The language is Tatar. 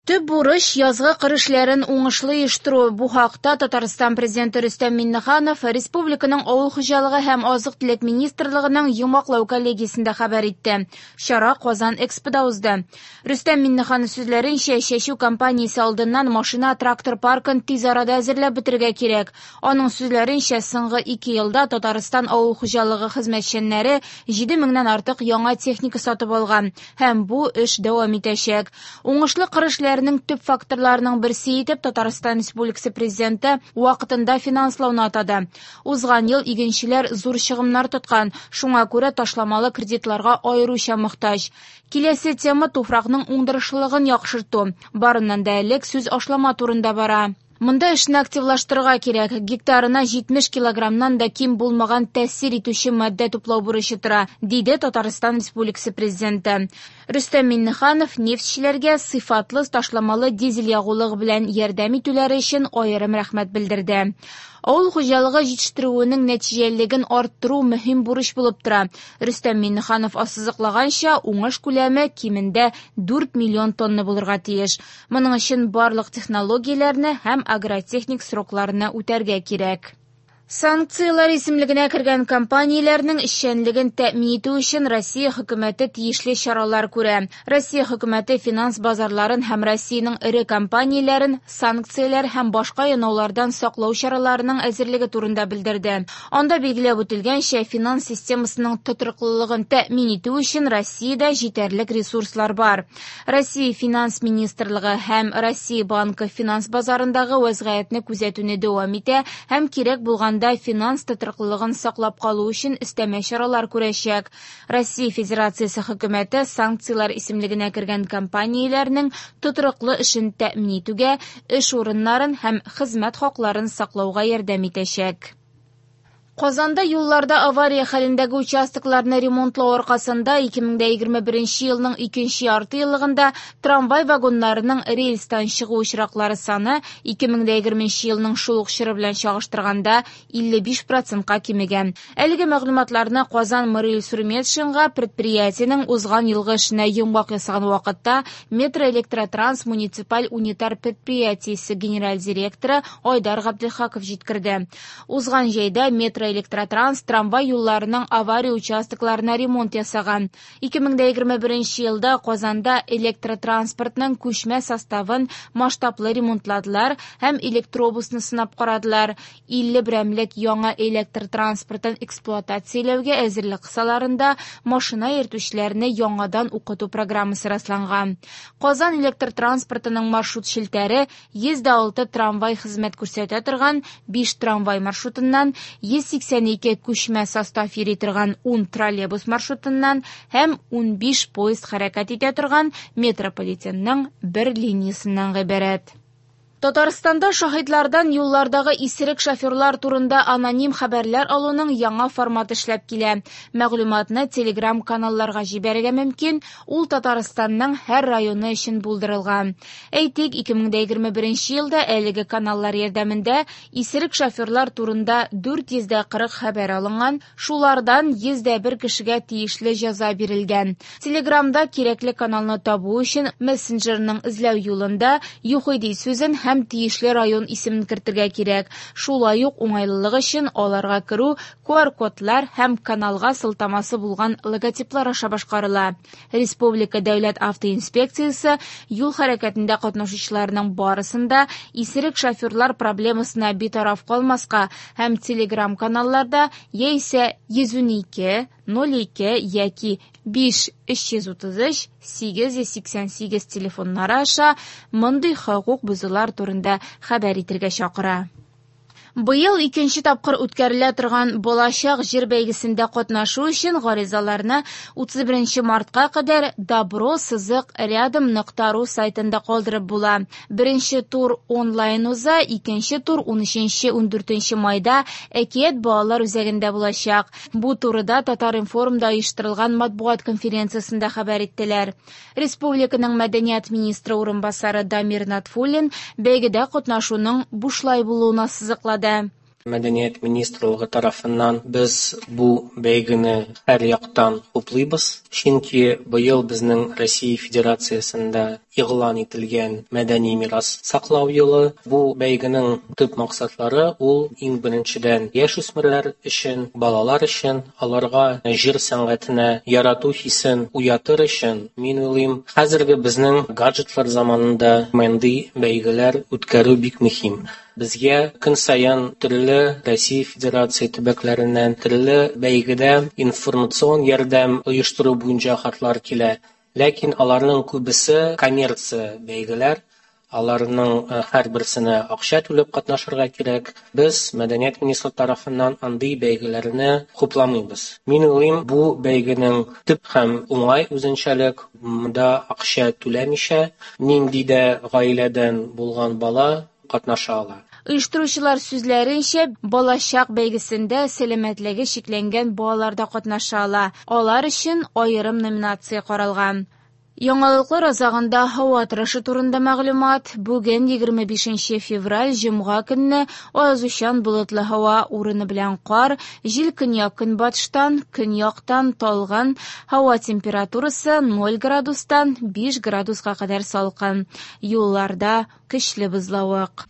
Төп бурыч – язгы кыр эшләрен уңышлы оештыру. Бу хакта Татарстан Президенты Рөстәм Миңнеханов республиканың Авыл хуҗалыгы һәм азык-төлек министрлыгының йомгаклау коллегиясендә хәбәр итте. Чара Казан Экспода узды. Рөстәм Миңнеханов сүзләренчә, чәчү кампаниясе алдыннан машина-трактор паркын тиз арада әзерләп бетерергә кирәк. Аның сүзләренчә, соңгы 2 елда Татарстан авыл хуҗалыгы хезмәтчәннәре 7 меңнән артык яңа техника сатып алган һәм бу эш дәвам итәчәк. Уңышлы кыр эшләренең төп факторларының берсе итеп Татарстан Республикасы Президенты вакытында финанслауны атады. Узган ел игенчеләр зур чыгымнар тоткан, шуңа күрә ташламалы кредитларга аеруча мохтаҗ. Киләсе тема туфракның уңдырышлылыгын яхшырту. Барыннан да элек сүз ашлама турында бара. Монда эшне активлаштырырга кирәк. Гектарына 70 килограммнан да ким булмаган тәэсир итүче матдә туплау бурычы тора, диде Татарстан Республикасы Президенты. Рөстәм Миңнеханов нефтьчеләргә сыйфатлы ташламалы дизель ягулыгы белән ярдәм итүләре өчен аерым рәхмәт белдерде. Авыл хуҗалыгы җитештерүенең нәтиҗәлелеген арттыру мөһим бурыч булып тора. Рөстәм Миңнеханов ассызыклаганча, уңыш күләме кимендә 4 миллион тонна булырга тиеш. Моның өчен барлык технологияләрне һәм агротехник срокларны үтәргә кирәк. Санкцияләр исемлегенә кергән компанияләрнең эшчәнлеген тәэмин итү өчен Россия хөкүмәте тиешле чаралар күрә. Россия хөкүмәте финанс базарларын һәм Россиянең эре компанияләрен санкцияләр һәм башка янаулардан саклау чараларының әзерлеге турында белдерде. Анда билгеләп үтелгәнчә, финанс системасының тотрыклылыгын тәэмин итү өчен Россиядә җитәрлек ресурслар бар. Россия Финанс министрлыгы һәм Россия Банкы финанс базарындагы вәзгыятьне күзәтүне дәвам итә һәм кирәк булганда финанс тотрыклылыгын саклап калу өчен өстәмә чаралар күрәчәк. Россия Федерациясе хөкүмәте санкцияләр исемлегенә кергән компанияләрнең тотрыклы эшен тәэмин итүгә, эш урыннарын һәм хезмәт хакларын саклауга ярдәм итәчәк. Казанда юлларда авария хәлендәге участокларны ремонтлау аркасында 2021 елның икенче ярты еллыгында трамвай вагоннарының рельстан чыгу очраклары саны 2020 елның шул ук чоры белән чагыштырганда 55%-ка кимегән. Әлеге мәгълүматларны Казан Морель Сурметшинга предприятиенең узган елгы эшенә йомгак ясаган вакытта Метроэлектротранс муниципаль унитар предприятиесе генераль директоры Айдар Габделхаков җиткерде. Узган җәйдә Метроэлектротранс трамвай юлларының авария участокларына ремонт ясаган. 2021 елда Казанда электротранспортның күчмә составын масштаблы ремонтладылар һәм электробусны сынап карадылар. 50 берәмлек яңа электр транспортын эксплуатацияләүгә әзерлек кысаларында машина йөртүчеләрне яңадан укыту программасы расланган. Казан электр транспортының маршрут челтәре 106 трамвай хезмәт күрсәтә торган 5 трамвай маршрутыннан, 182 күчмә состав йөри торган 10 троллейбус маршрутыннан һәм 15 поезд хәрәкәт итә торган метрополитенның бер линиясеннән гыйбарәт. Татарстанда шаһитлардан юллардагы исерек шоферлар турында аноним хәбәрләр алуның яңа форматы эшләп килә. Мәгълүматны Telegram каналларга җибәрергә мөмкин, ул Татарстанның һәр районы өчен булдырылган. Әйтик, 2021 елда әлеге каналлар ярдәмендә исерек шоферлар турында 440 хәбәр алынган, шулардан 101 кешегә тиешле җәза бирелгән. Телеграмда кирәкле каналны табу өчен мессенджерның эзләү юлында ЮХИДИ сүзен һәм тиешле район исемен кертергә кирәк. Шулай ук уңайлылык өчен аларга керү QR-кодлар һәм каналга сылтамасы булган логотиплар аша башкарыла. Республика дәүләт автоинспекциясе юл хәрәкәтендә катнашучыларның барысын да исерек шоферлар проблемасына битараф калмаска һәм Telegram-каналларда яисә 112 02 яки 5 333 888 телефоннары аша мондый хокук бозулар турында хәбәр итәргә чакыра. Быел икенче тапкыр үткәрелә торган Балачак җыр бәйгесендә катнашу өчен гаризаларны 31 мартка кадәр добро сызык рядом нокта ру сайтында калдырып була. Беренче тур онлайн уза, икенче тур 13-14 майда Әкият балалар үзәгендә булачак. Бу турыда Татар-информда оештырылган матбугат конференциясендә хәбәр иттеләр. Республиканың мәдәният министры урынбасары Дамир Натфуллин бәйгедә катнашуның бушлай булуын ассызыклады. Мәдәният министрлыгы тарафыннан без бу бәйгене һәр яктан хуплыйбыз, чөнки быел безнең Россия Федерациясендә игълан ителгән мәдәни мирас саклау елы. Бу бәйгенең төп максатлары ул иң беренчедән яшүсмерләр өчен, балалар өчен, аларга җыр сәнгатенә ярату хисен уятыр өчен, мин уйлыйм, хәзерге безнең гаджетлар заманында мондый бәйгеләр үткәрү бик мөһим. Безгә көн саен төрле Россия Федерация төбәкләреннән төрле бәйгедә информацион ярдәм оештыру буенча хатлар килә. Ләкин аларның күбесе коммерция бәйгеләр, аларның һәрберсенә акча түләп катнашырга кирәк. Без мәдәният министрлыгы тарафыннан андый бәйгеләрне хупламыйбыз. Мин уйлыйм, бу бәйгенең төп һәм уңай үзенчәлек монда акча түләмичә, нинди дә гаиләдән булган бала катнаша ала. Оештыручылар сүзләренчә, Балачак бәйгесендә сәламәтлеге чикләнгән балалар да катнаша ала. Алар өчен аерым номинация каралган. Яңалыклар азагында һава торышы турында мәгълүмат. Бүген 25 февраль, җомга көнне аязучан болытлы һава, урыны белән кар, җил көньяк-көнбатыштан, көньяктан талгын, һава температурасы 0 градустан 5 градуска кадәр салкын. Юлларда көчле бозлавык.